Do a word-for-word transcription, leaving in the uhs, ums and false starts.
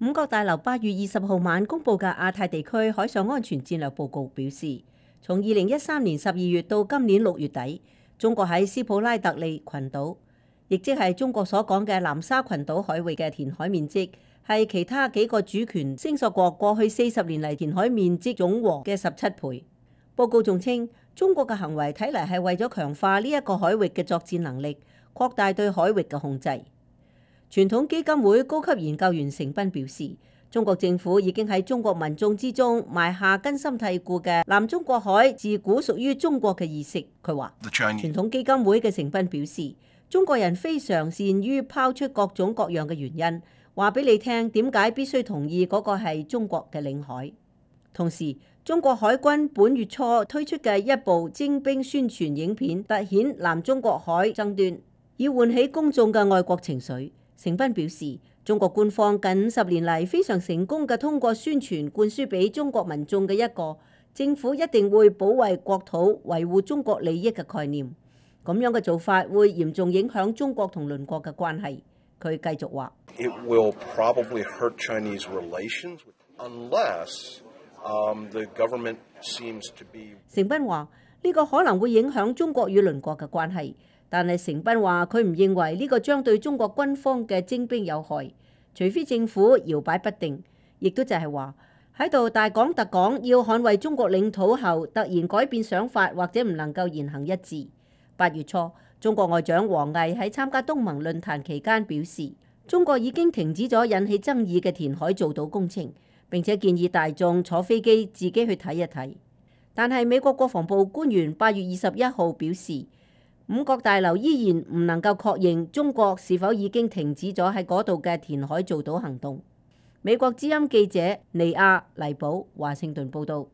五角大樓八月二十號晚公佈嘅亞太地區海上安全戰略報告表示，從二零一三年十二月到今年六月底，中國喺斯普拉特利群島，亦即係中國所講嘅南沙群島海域嘅填海面積，係其他幾個主權聲索國過去四十年嚟填海面積總和嘅十七倍。報告仲稱，中國嘅行為睇嚟係為咗強化呢一個海域嘅作戰能力，擴大對海域嘅控制。傳統基金會高級研究員成斌表示，中國政府已經喺中國民眾之中埋下根深蒂固嘅南中國海自古屬於中國嘅意識。佢話，傳統基金會嘅成斌表示，中國人非常善於拋出各種各樣嘅原因，話俾你聽點解必須同意嗰個係中國嘅領海。同時，中國海軍本月初推出嘅一部徵兵宣傳影片，凸顯南中國海爭端，以喚起公眾嘅愛國情緒。成斌表示，中國官方近五十年嚟非常成功嘅通過宣傳灌輸俾中國民眾嘅一個政府一定會保衛國土、維護中國利益嘅概念。咁樣嘅做法會嚴重影響中國同鄰國嘅關係。佢繼續話：It will probably hurt Chinese relations unless, um, the government seems to be。成斌話：呢個可能會影響中國與鄰國嘅關係。但係成斌話佢唔認為呢個將對中國軍方嘅徵兵有害，除非政府搖擺不定，亦都就係話喺度大講特講要捍衛中國領土後，突然改變想法或者唔能夠言行一致。八月初，中國外長王毅喺參加東盟論壇期間表示，中國已經停止咗引起爭議嘅填海造島工程，並且建議大眾坐飛機自己去睇一睇。但係美國國防部官員八月二十一號表示，五角大樓依然唔能夠確認中國是否已經停止咗喺嗰度嘅填海造島行動。美國之音記者尼亞黎堡華盛頓報道。